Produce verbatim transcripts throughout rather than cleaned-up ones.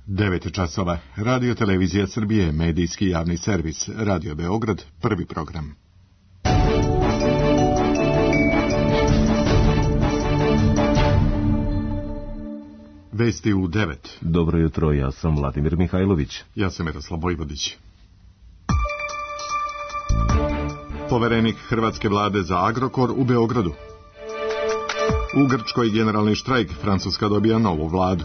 devet časova. Radio Televizija Srbije, medijski javni servis. Radio Beograd, prvi program. Vesti u devet. Dobro jutro, ja sam Vladimir Mihajlović. Ja sam Miroslav Vojvodić. Poverenik hrvatske vlade za Agrokor u Beogradu. U Grčkoj generalni štrajk, Francuska dobija novu vladu.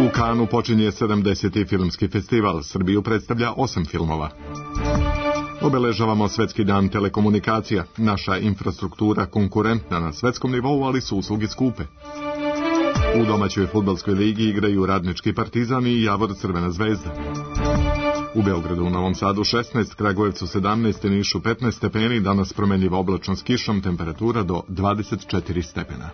U Kanu počinje sedamdeseti filmski festival, Srbiju predstavlja osam filmova. Obeležavamo Svetski dan telekomunikacija, naša infrastruktura konkurentna na svetskom nivou, ali su usluge skupe. U domaćoj fudbalskoj ligi igraju Radnički Partizan i Javor Crvena zvezda. U Beogradu, u Novom Sadu šesnaest, Kragujevcu sedamnaest, Nišu petnaest stepeni, danas promenljivo oblačno s kišom, temperatura do dvadeset četiri stepena.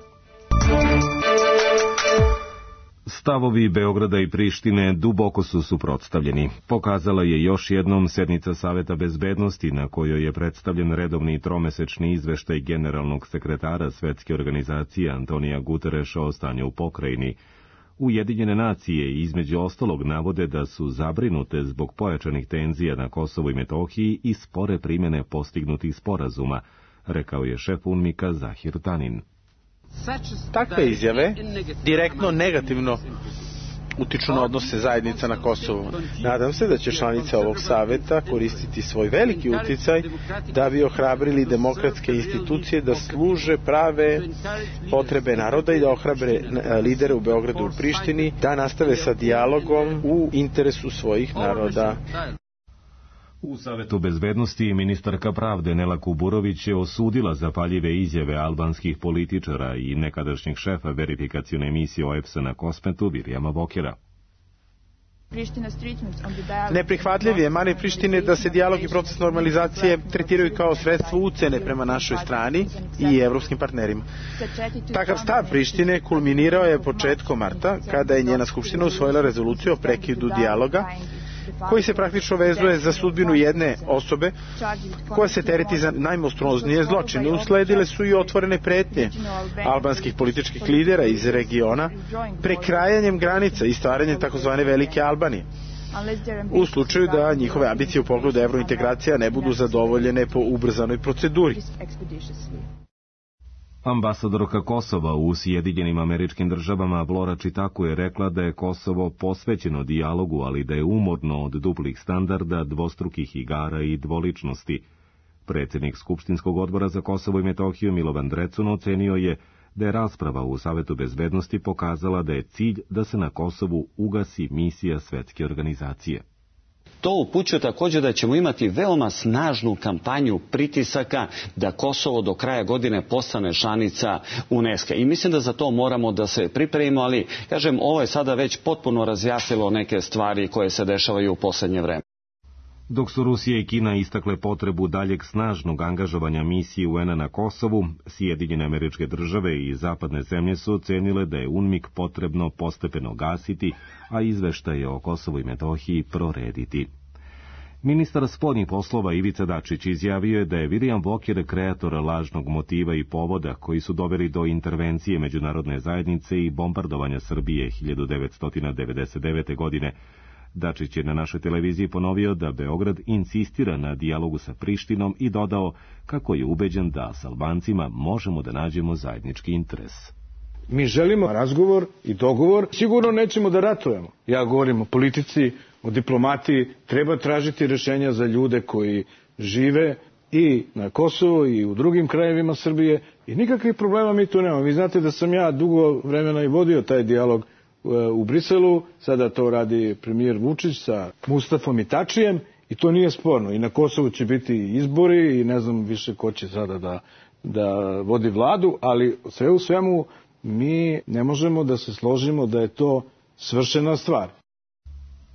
Stavovi Beograda i Prištine duboko su suprotstavljeni. Pokazala je još jednom sednica Saveta bezbednosti na kojoj je predstavljen redovni tromesečni izveštaj generalnog sekretara Svetske organizacije Antonija Gutereša o stanju u pokrajini. Ujedinjene nacije između ostalog navode da su zabrinute zbog pojačanih tenzija na Kosovu i Metohiji i spore primjene postignutih sporazuma, rekao je šef UNMIK-a Zahir Tanin. Takve izjave direktno negativno utiču na odnose zajednica na Kosovu. Nadam se da će članice ovog saveta koristiti svoj veliki uticaj da bi ohrabrili demokratske institucije da služe prave potrebe naroda i da ohrabre lidere u Beogradu i u Prištini da nastave sa dijalogom u interesu svojih naroda. U Savetu bezbednosti ministarka pravde Nela Kuburović je osudila zapaljive izjave albanskih političara i nekadašnjeg šefa verifikacione misije O E B S-a na Kosmetu Virijama Vokera. Neprihvatljiv je mani Prištine da se dijalog i proces normalizacije tretiraju kao sredstvo ucene prema našoj strani i evropskim partnerima. Takav stav Prištine kulminirao je početkom marta, kada je njena skupština usvojila rezoluciju o prekidu dijaloga, koji se praktično vezuje za sudbinu jedne osobe koja se tereti za najmonstruoznije zločine. Usledile su i otvorene pretnje albanskih političkih lidera iz regiona prekrajanjem granica i stvaranjem takozvane Velike Albanije, u slučaju da njihove ambicije u pogledu evrointegracija ne budu zadovoljene po ubrzanoj proceduri. Ambasadorka Kosova u Sjedinjenim Američkim Državama Vlora Čitaku je rekla da je Kosovo posvećeno dijalogu, ali da je umorno od duplih standarda, dvostrukih igara i dvoličnosti. Predsjednik Skupštinskog odbora za Kosovo i Metohiju Milovan Drecun ocenio je da je rasprava u Savetu bezbednosti pokazala da je cilj da se na Kosovu ugasi misija Svetske organizacije. To upućuje također da ćemo imati veoma snažnu kampanju pritisaka da Kosovo do kraja godine postane članica UNESCO. I mislim da za to moramo da se pripremimo, ali kažem, ovo je sada već potpuno razjasnilo neke stvari koje se dešavaju u posljednje vreme. Dok su Rusija i Kina istakle potrebu daljeg snažnog angažovanja misije U N A na Kosovu, Sjedinjene Američke Države i zapadne zemlje su ocenile da je UNMIK potrebno postepeno gasiti, a izveštaje o Kosovu i Metohiji prorediti. Ministar spoljnih poslova Ivica Dačić izjavio je da je Virijam Voker kreator lažnog motiva i povoda koji su doveli do intervencije međunarodne zajednice i bombardovanja Srbije hiljadu devetsto devedeset devete. godine. Dačić je na našoj televiziji ponovio da Beograd insistira na dijalogu sa Prištinom i dodao kako je ubeđen da s Albancima možemo da nađemo zajednički interes. Mi želimo razgovor i dogovor, sigurno nećemo da ratujemo. Ja govorim o politici, o diplomatiji, treba tražiti rješenja za ljude koji žive i na Kosovu i u drugim krajevima Srbije i nikakvih problema mi tu nemamo. Vi znate da sam ja dugo vremena i vodio taj dijalog u Briselu, sada to radi premijer Vučić sa Mustafom i Tačijem i to nije sporno. I na Kosovu će biti izbori i ne znam više ko će sada da, da vodi vladu, ali sve u svemu mi ne možemo da se složimo da je to svršena stvar.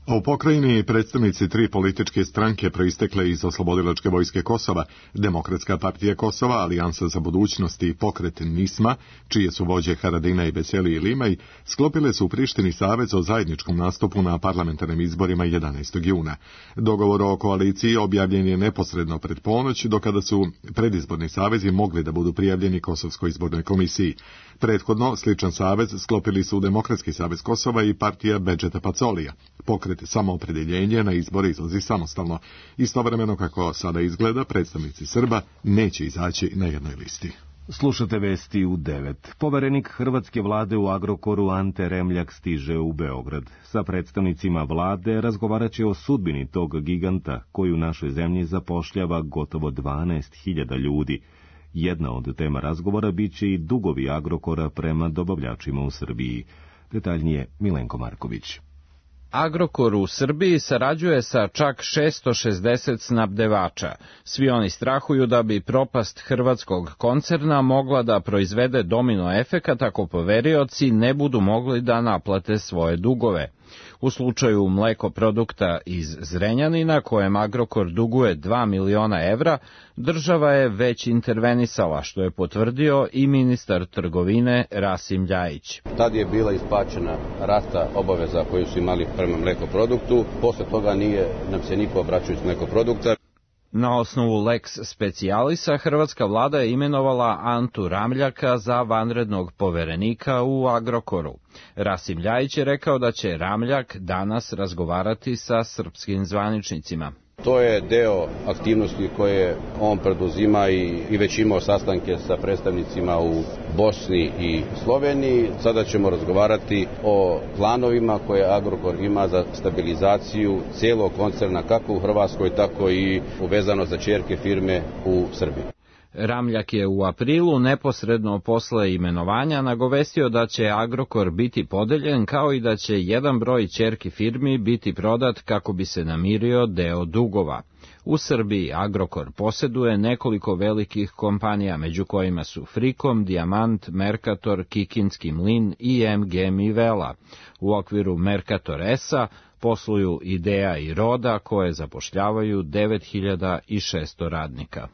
U pokrajini predstavnici tri političke stranke proistekle iz Oslobodilačke vojske Kosova, Demokratska partija Kosova, Alijansa za budućnost i pokret Nisma, čije su vođe Haradina i Beseli i Limaj, sklopile su u Prištini savez o zajedničkom nastupu na parlamentarnim izborima jedanaestog juna. Dogovor o koaliciji objavljen je neposredno pred ponoć, do kada su predizborni savezi mogli da budu prijavljeni Kosovskoj izbornoj komisiji. Prethodno, sličan savez sklopili su Demokratski savez Kosova i partija Bedžeta Pacolija. Pokret Samoopredeljenje na izbore izlazi samostalno. Istovremeno, kako sada izgleda, predstavnici Srba neće izaći na jednoj listi. Slušate vesti u devet. Poverenik hrvatske vlade u Agrokoru Ante Remljak stiže u Beograd. Sa predstavnicima vlade razgovarat će o sudbini tog giganta koji u našoj zemlji zapošljava gotovo dvanaest hiljada ljudi. Jedna od tema razgovora bit će i dugovi Agrokora prema dobavljačima u Srbiji. Detaljnije Milenko Marković. Agrokor u Srbiji sarađuje sa čak šesto šezdeset snabdevača. Svi oni strahuju da bi propast hrvatskog koncerna mogla da proizvede domino efekat ako poverioci ne budu mogli da naplate svoje dugove. U slučaju mlekoprodukta iz Zrenjanina, kojem Agrokor duguje dva miliona evra, država je već intervenisala, što je potvrdio i ministar trgovine Rasim Ljajić. Tad je bila isplaćena rata obaveza koju su imali prema mlekoproduktu, posle toga nije nam se niko obraćao iz mlekoprodukta. Na osnovu lex specialisa, hrvatska vlada je imenovala Antu Ramljaka za vanrednog poverenika u Agrokoru. Rasim Ljajić je rekao da će Ramljak danas razgovarati sa srpskim zvaničnicima. To je deo aktivnosti koje on preduzima i, i već imao sastanke sa predstavnicima u Bosni i Sloveniji. Sada ćemo razgovarati o planovima koje Agrokor ima za stabilizaciju cijelog koncerna, kako u Hrvatskoj, tako i uvezano za ćerke firme u Srbiji. Ramljak je u aprilu, neposredno posle imenovanja, nagovestio da će Agrokor biti podeljen, kao i da će jedan broj ćerki firmi biti prodat kako bi se namirio deo dugova. U Srbiji Agrokor poseduje nekoliko velikih kompanija, među kojima su Frikom, Dijamant, Mercator, Kikinski mlin i M G Mivela. U okviru Mercator S-a posluju Idea i Roda, koje zapošljavaju devet hiljada šesto radnika.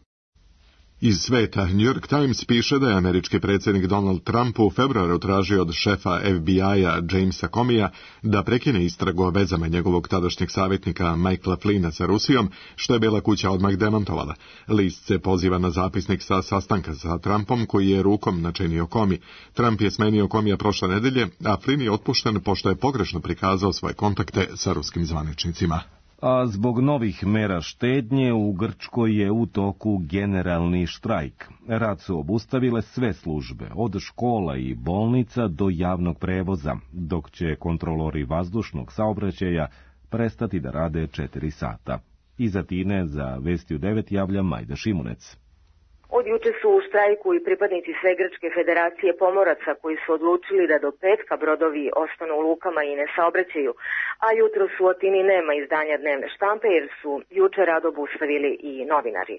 Iz sveta New York Times piše da je američki predsjednik Donald Trump u februaru tražio od šefa F B I-a Jamesa Comeyja da prekine istragu o vezama njegovog tadašnjeg savjetnika Michaela Flynna sa Rusijom, što je Bela kuća odmah demantovala. List se poziva na zapisnik sa sastanka sa Trumpom, koji je rukom načinio Comey. Trump je smenio Comeyja prošle nedelje, a Flynn je otpušten pošto je pogrešno prikazao svoje kontakte sa ruskim zvaničnicima. A zbog novih mera štednje u Grčkoj je u toku generalni štrajk. Rad su obustavile sve službe, od škola i bolnica do javnog prevoza, dok će kontrolori vazdušnog saobraćaja prestati da rade četiri sata. Iz Atine za Vesti u devet javlja Majda Šimunec. Od juče su u štrajku i pripadnici sve Grčke federacije pomoraca koji su odlučili da do petka brodovi ostanu u lukama i ne saobraćaju, a jutro su u Atini nema izdanja dnevne štampe jer su juče rad obustavili i novinari.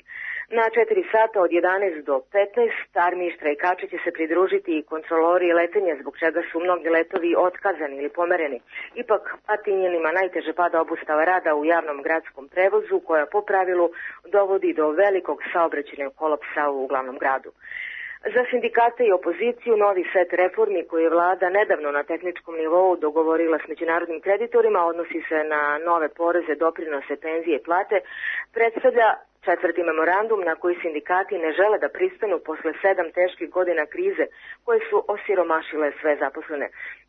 Na četiri sata od jedanaest do petnaest armiji štrajkača će se pridružiti i kontrolori letenja, zbog čega su mnogi letovi otkazani ili pomereni. Ipak Atinjanima najteže pada obustava rada u javnom gradskom prevozu, koja po pravilu dovodi do velikog saobraćajnog kolapsa u glavnom gradu. Za sindikate i opoziciju novi set reformi koji je vlada nedavno na tehničkom nivou dogovorila s međunarodnim kreditorima, odnosi se na nove poreze, doprinose, penzije i plate, predstavlja četvrti memorandum na koji sindikati ne žele da pristanu posle sedam teških godina krize koje su osiromašile sve zaposlene.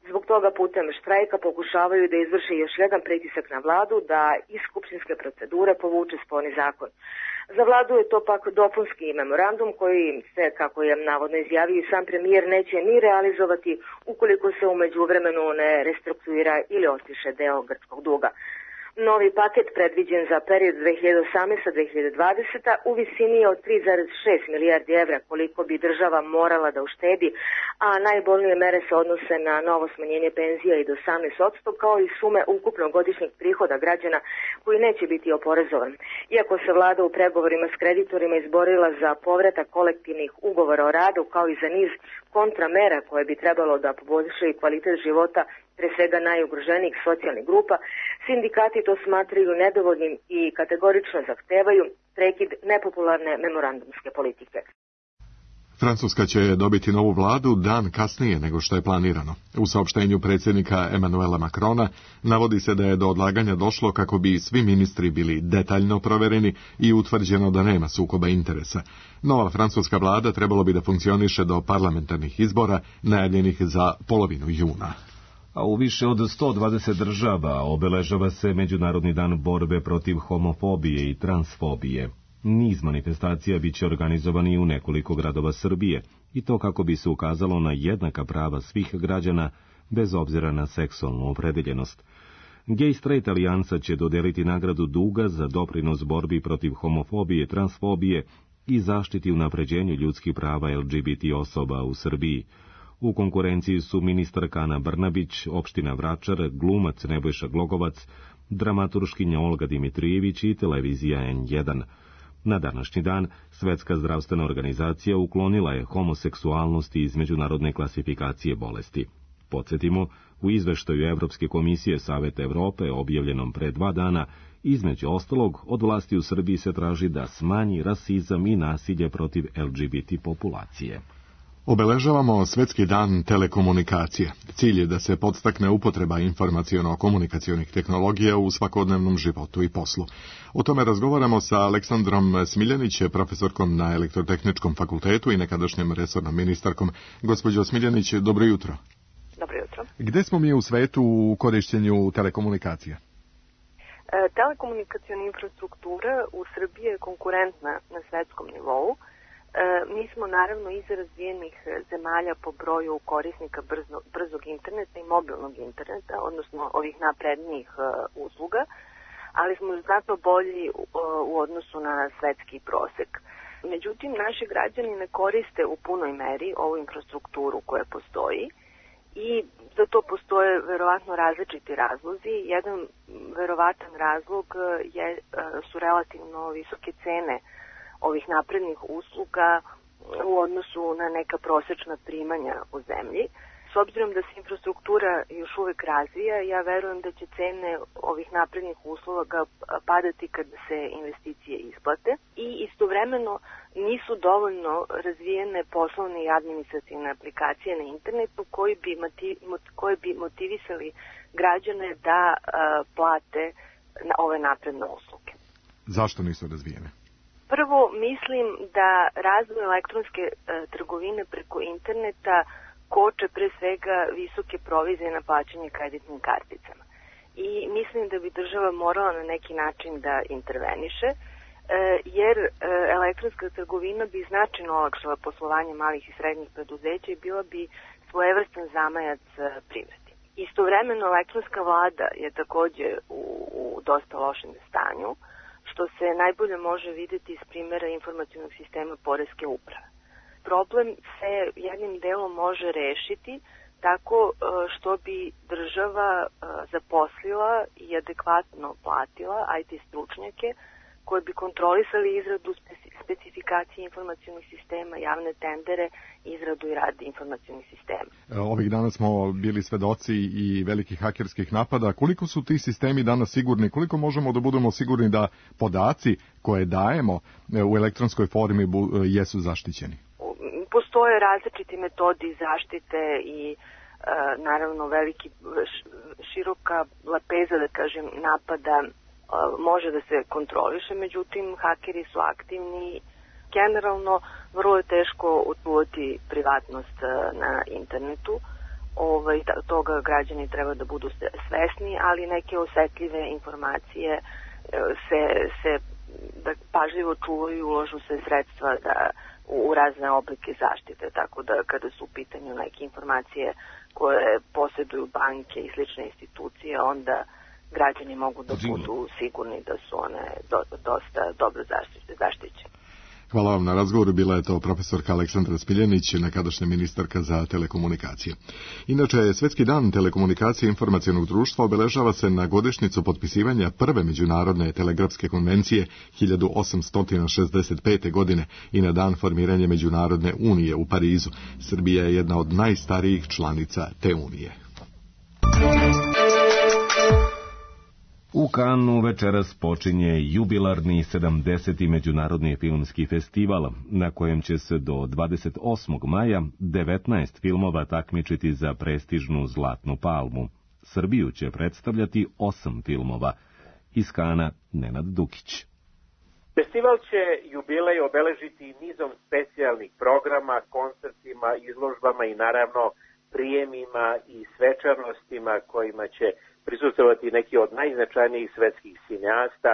Zbog toga putem štrajka pokušavaju da izvrše još jedan pritisak na vladu da iz skupštinske procedure povuče sporni zakon. Za vladu je to pak dopunski memorandum koji se, kako je navodno izjavio i sam premijer, neće ni realizovati ukoliko se u međuvremenu ne restrukturira ili otpiše deo grčkog duga. Novi paket predviđen za period dve hiljade osamnaesta do dve hiljade dvadesete. u visini od tri zarez šest milijardi evra koliko bi država morala da uštedi, a najbolnije mere se odnose na novo smanjenje penzija i do osamnaest posto kao i sume ukupnog godišnjeg prihoda građana koji neće biti oporezovan. Iako se vlada u pregovorima s kreditorima izborila za povratak kolektivnih ugovora o radu kao i za niz kontramera koje bi trebalo da poboljšaju kvalitet života pre svega najugroženijih socijalnih grupa, sindikati to smatraju nedovoljnim i kategorično zahtevaju prekid nepopularne memorandumske politike. Francuska će dobiti novu vladu dan kasnije nego što je planirano. U saopštenju predsjednika Emmanuela Macrona navodi se da je do odlaganja došlo kako bi svi ministri bili detaljno provereni i utvrđeno da nema sukoba interesa. Nova francuska vlada trebalo bi da funkcioniše do parlamentarnih izbora najavljenih za polovinu juna. A u više od sto dvadeset država obeležava se Međunarodni dan borbe protiv homofobije i transfobije. Niz manifestacija biće organizovani u nekoliko gradova Srbije, i to kako bi se ukazalo na jednaka prava svih građana, bez obzira na seksualnu opredeljenost. Gay Straight Alijansa će dodeliti nagradu Duga za doprinos borbi protiv homofobije, transfobije i zaštiti unapređenju ljudskih prava L G B T osoba u Srbiji. U konkurenciji su ministarka Ana Brnabić, opština Vračar, glumac Nebojša Glogovac, dramaturškinja Olga Dimitrijević i televizija N jedan. Na današnji dan, Svetska zdravstvena organizacija uklonila je homoseksualnost iz međunarodne klasifikacije bolesti. Podsjetimo, u izveštaju Evropske komisije Saveta Evrope, objavljenom pre dva dana, između ostalog, od vlasti u Srbiji se traži da smanji rasizam i nasilje protiv L G B T populacije. Obeležavamo Svetski dan telekomunikacije. Cilj je da se podstakne upotreba informaciono-komunikacionih tehnologija u svakodnevnom životu i poslu. O tome razgovaramo sa Aleksandrom Smiljanić, profesorkom na Elektrotehničkom fakultetu i nekadašnjem resornom ministarkom. Gospođo Smiljanić, dobro jutro. Dobro jutro. Gde smo mi u svetu u korišćenju telekomunikacija? E, telekomunikaciona infrastruktura u Srbiji je konkurentna na svetskom nivou. E, mi smo naravno iz razvijenih zemalja po broju korisnika brzo, brzog interneta i mobilnog interneta, odnosno ovih naprednijih e, usluga, ali smo znatno bolji u, u odnosu na svetski prosek. Međutim, naši građani ne koriste u punoj meri ovu infrastrukturu koja postoji i za to postoje verovatno različiti razlozi. Jedan verovatan razlog je, su relativno visoke cene ovih naprednih usluga u odnosu na neka prosečna primanja u zemlji. S obzirom da se infrastruktura još uvek razvija, ja verujem da će cene ovih naprednih usluga padati kada se investicije isplate i istovremeno nisu dovoljno razvijene poslovne i administrativne aplikacije na internetu koji bi, koji bi motivisali građane da uh, plate na ove napredne usluge. Zašto nisu razvijene? Prvo, mislim da razvoj elektronske uh, trgovine preko interneta koče pre svega visoke provizije na plaćanje kreditnim karticama. I mislim da bi država morala na neki način da interveniše, jer elektronska trgovina bi značajno olakšala poslovanje malih i srednjih preduzeća i bila bi svojevrstan zamajac privredi. Istovremeno, elektronska vlada je takođe u, u dosta lošem stanju, što se najbolje može videti iz primjera informacionog sistema poreske uprave. Problem se jednim delom može rešiti tako što bi država zaposlila i adekvatno platila I T stručnjake koji bi kontrolisali izradu specifikacije informacionih sistema, javne tendere, izradu i rad informacionih sistema. Ovih dana smo bili svedoci i velikih hakerskih napada. Koliko su ti sistemi danas sigurni? Koliko možemo da budemo sigurni da podaci koje dajemo u elektronskoj formi jesu zaštićeni? Postoje različiti metodi zaštite i e, naravno veliki široka lepeza, da kažem, napada e, može da se kontroliše, međutim hakeri su aktivni. Generalno vrlo je teško očuvati privatnost e, na internetu. Ovaj, toga građani treba da budu svesni, ali neke osetljive informacije e, se, se da pažljivo čuvaju, uložu se sredstva da u razne oblike zaštite, tako da kada su u pitanju neke informacije koje posjeduju banke i slične institucije, onda građani mogu da budu sigurni da su one do, dosta dobro zaštićene. Hvala vam na razgovoru, bila je to profesorka Aleksandra Smiljanić, nekadašnja ministarka za telekomunikacije. Inače, Svetski dan telekomunikacije i informacionog društva obeležava se na godišnjicu potpisivanja prve međunarodne telegrafske konvencije hiljadu osamsto šezdeset pete. godine i na dan formiranja Međunarodne unije u Parizu. Srbija je jedna od najstarijih članica te unije. U Kanu večeras počinje jubilarni sedamdeseti Međunarodni filmski festival, na kojem će se do dvadeset osmog maja devetnaest filmova takmičiti za prestižnu Zlatnu palmu. Srbiju će predstavljati osam filmova. Iz Kana Nenad Dukić. Festival će jubilej obeležiti nizom specijalnih programa, koncertima, izložbama i naravno prijemima i svečanostima kojima će prisustvovati neki od najznačajnijih svetskih cineasta,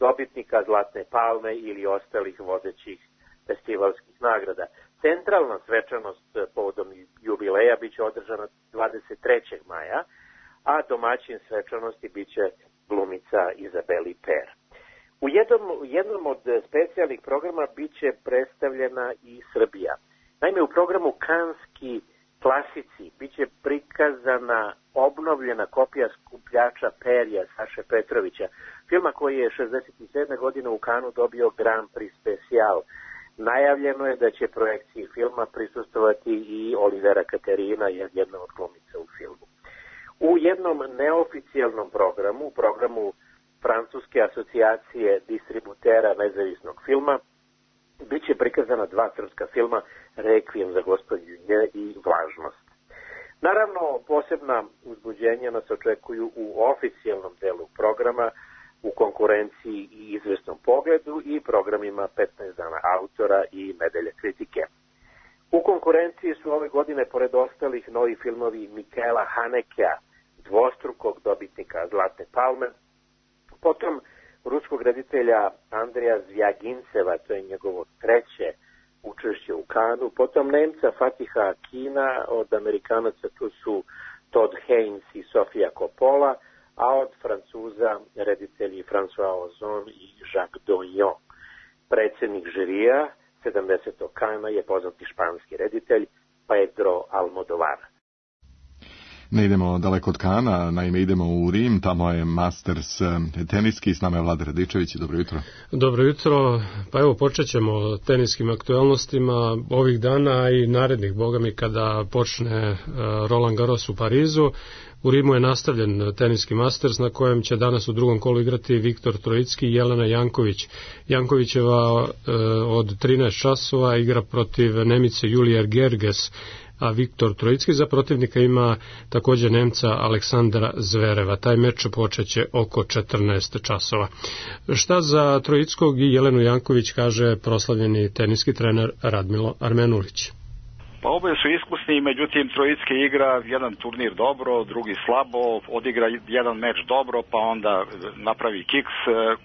dobitnika Zlatne palme ili ostalih vodećih festivalskih nagrada. Centralna svečanost povodom jubileja biće održana dvadeset trećeg maja, a domaćin svečanosti biće glumica Izabeli Per. U jednom, jednom od specijalnih programa biće predstavljena i Srbija. Naime, u programu Kanski klasici biće prikazana obnovljena kopija Skupljača perja Saše Petrovića, filma koji je šezdeset sedme. godine u Kanu dobio Grand Prix Special. Najavljeno je da će projekciji filma prisustovati i Olivera Katerina, jedna od glumica u filmu. U jednom neoficijalnom programu, u programu Francuske asocijacije distributera nezavisnog filma, biće prikazana dva srpska filma, Rekvijem za gospodinje i Vlažnost. Naravno, posebna uzbuđenja nas očekuju u oficijalnom delu programa, u konkurenciji i izvesnom pogledu i programima petnaest dana autora i Medelja kritike. U konkurenciji su ove godine, pored ostalih, novi filmovi Mikaela Hanekea, dvostrukog dobitnika Zlatne palme, potom ruskog reditelja Andreja Zvjaginceva, to je njegovo treće učešće u Kanu, potom Nemca Fatiha Akina, od Amerikanaca tu su Todd Haynes i Sofia Coppola, a od Francuza reditelji François Ozon i Jacques Doyon. Predsednik žirija sedamdesetog Kana je poznati španski reditelj Pedro Almodovar. Ne idemo daleko od Kana, naime idemo u Rim, tamo je Masters teniski, s nama je Vlada Radičević, dobro jutro. Dobro jutro, pa evo počet ćemo o teniskim aktualnostima ovih dana i narednih, bogami, kada počne Roland Garros u Parizu. U Rimu je nastavljen teniski Masters na kojem će danas u drugom kolu igrati Viktor Trojicki i Jelena Janković. Jankovićeva od trinaest časova igra protiv Nemice Julije Gerges, a Viktor Trojicki za protivnika ima također Nemca Aleksandra Zvereva. Taj meč počeće oko četrnaest časova. Šta za Trojickog i Jelenu Janković kaže proslavljeni teniski trener Radmilo Armenulić? Pa oboje su iskusni, međutim Trojicki igra jedan turnir dobro, drugi slabo, odigra jedan meč dobro, pa onda napravi kiks.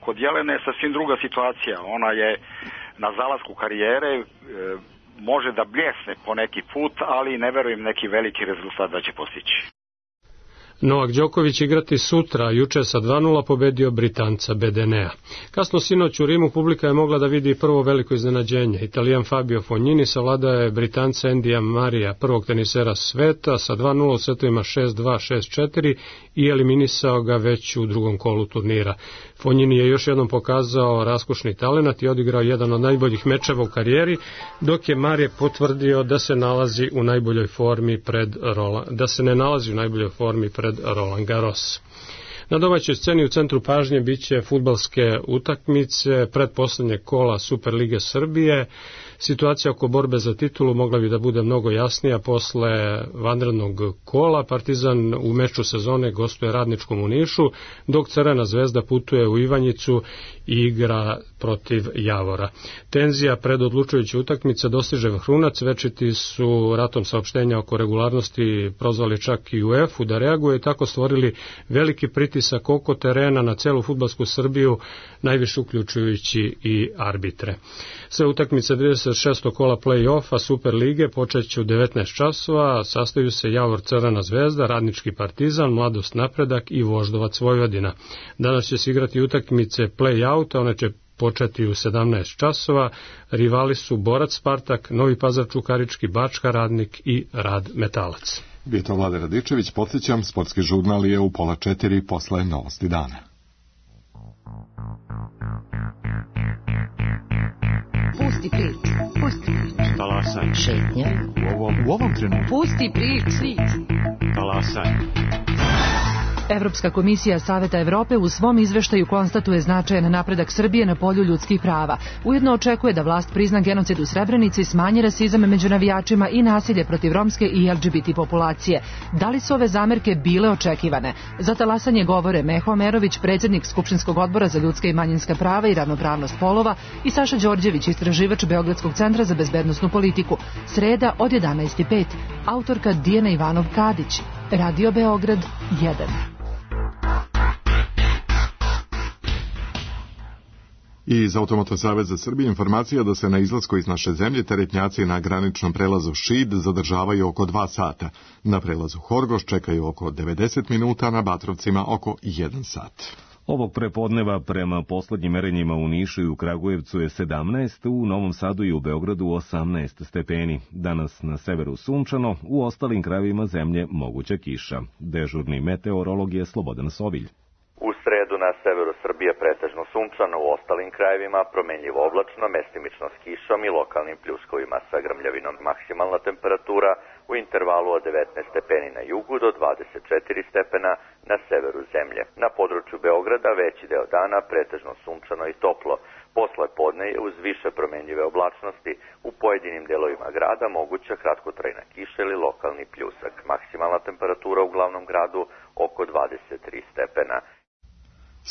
Kod Jelene je sasvim druga situacija. Ona je na zalasku karijere, može da bljesne po neki put, ali ne verujem neki veliki rezultat da će postići. Novak Đoković igrati sutra, juče sa dva nula pobedio Britanca Bedenea. Kasno sinoć u Rimu publika je mogla da vidi prvo veliko iznenađenje. Italijan Fabio Fognini savladao je Britanca Endija Marija, prvog tenisera sveta, sa dva nula u setovima šest dva, šest četiri i eliminisao ga već u drugom kolu turnira. Fognini je još jednom pokazao raskošni talenat i odigrao jedan od najboljih mečeva u karijeri, dok je Marije potvrdio da se nalazi u najboljoj formi pred Roland, da se ne nalazi u najboljoj formi pred Roland Garros. Na domaćoj sceni u centru pažnje biće fudbalske utakmice pretposlednjeg kola Superlige Srbije. Situacija oko borbe za titulu mogla bi da bude mnogo jasnija posle vanrednog kola. Partizan u meču sezone gostuje Radničkom u Nišu, dok Crvena zvezda putuje u Ivanjicu i igra protiv Javora. Tenzija pred odlučujuće utakmice dostiže vrhunac, večiti su ratom saopštenja oko regularnosti prozvali čak i UEFA da reaguje i tako stvorili veliki pritisak oko terena na celu fudbalsku Srbiju, najviše uključujući i arbitre. Sve utakmice trideset šestog kola play-offa Super lige počeće u devetnaest časova, sastaju se Javor Crvena zvezda, Radnički Partizan, Mladost Napredak i Voždovac Vojvodina. Danas će se igrati utakmice play-outa, one će početi u sedamnaest časova. Rivali su Borac Spartak, Novi Pazar Čukarički, Bačka Radnik i Rad Metalac. Bio to Vlade Radičević, podsjećam, sportski žurnal je u pola četiri posle Novosti dana. Pusti priču, pusti priču. Talasaj. Šetnja. U ovom, u ovom trenutku. Pusti priču. Talasaj. Evropska komisija Saveta Evrope u svom izveštaju konstatuje značajan napredak Srbije na polju ljudskih prava. Ujedno očekuje da vlast prizna genocid u Srebrenici, smanji rasizam među navijačima i nasilje protiv romske i L G B T populacije. Da li su ove zamerke bile očekivane? Za talasanje govore Meho Amerović, predsjednik Skupštinskog odbora za ljudska i manjinska prava i ravnopravnost polova, i Saša Đorđević, istraživač Beogradskog centra za bezbednosnu politiku. Sreda od jedanaest i pet. Autorka Dijana Ivanov-Kadić. Radio Beograd jedan. I iz Automoto Saveza Srbije informacija da se na izlasku iz naše zemlje teretnjaci na graničnom prelazu Šid zadržavaju oko dva sata. Na prelazu Horgoš čekaju oko devedeset minuta, na Batrovcima oko jedan sat. Ovog prepodneva prema poslednjim merenjima u Nišu i u Kragujevcu je sedamnaest, u Novom Sadu i u Beogradu osamnaest stepeni. Danas na severu sunčano, u ostalim krajevima zemlje moguća kiša. Dežurni meteorolog je Slobodan Sovilj. U sredu na severu Srbije pretežno sunčano, u ostalim krajevima promenljivo oblačno, mestimično s kišom i lokalnim pljuskovima sa grmljavinom. Maksimalna temperatura u intervalu od devetnaest stepeni na jugu do dvadeset četiri stepena na severu zemlje. Na području Beograda veći deo dana pretežno sunčano i toplo. Posle podne je uz više promenljive oblačnosti u pojedinim delovima grada moguća kratkotrajna kiša ili lokalni pljusak. Maksimalna temperatura u glavnom gradu oko dvadeset tri stepena.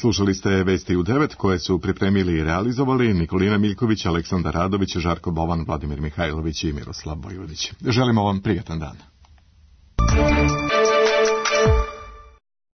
Slušali ste vesti u devet koje su pripremili i realizovali Nikolina Miljković, Aleksandar Radović, Žarko Bovan, Vladimir Mihajlović i Miroslav Vojvodić. Želimo vam prijatan dan.